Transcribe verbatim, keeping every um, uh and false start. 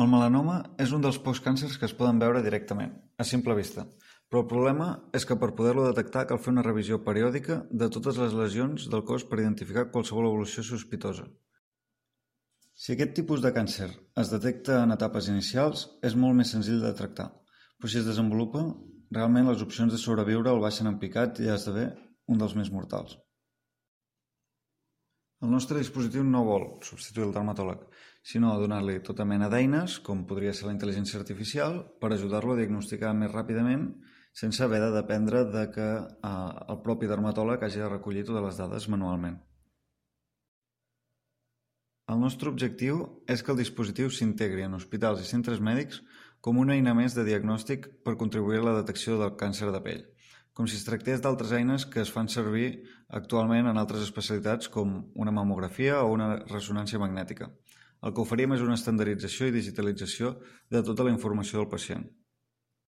El melanoma és un dels pocs càncers que es poden veure directament, a simple vista, però el problema és que per poder-lo detectar cal fer una revisió periòdica de totes les lesions del cos per identificar qualsevol evolució sospitosa. Si aquest tipus de càncer es detecta en etapes inicials, és molt més senzill de tractar, però si es desenvolupa, realment les opcions de sobreviure el baixen en picat i esdevé un dels més mortals. El nostre dispositiu no vol substituir el dermatòleg, sinó donar-li tota mena d'eines, com podria ser la intel·ligència artificial, per ajudar-lo a diagnosticar més ràpidament sense haver de dependre de que eh, el propi dermatòleg hagi de recollir totes les dades manualment. El nostre objectiu és que el dispositiu s'integri en hospitals i centres mèdics com una eina més de diagnòstic per contribuir a la detecció del càncer de pell, com si es tractés d'altres eines que es fan servir actualment en altres especialitats com una mamografia o una ressonància magnètica. El que oferim és una estandardització i digitalització de tota la informació del pacient.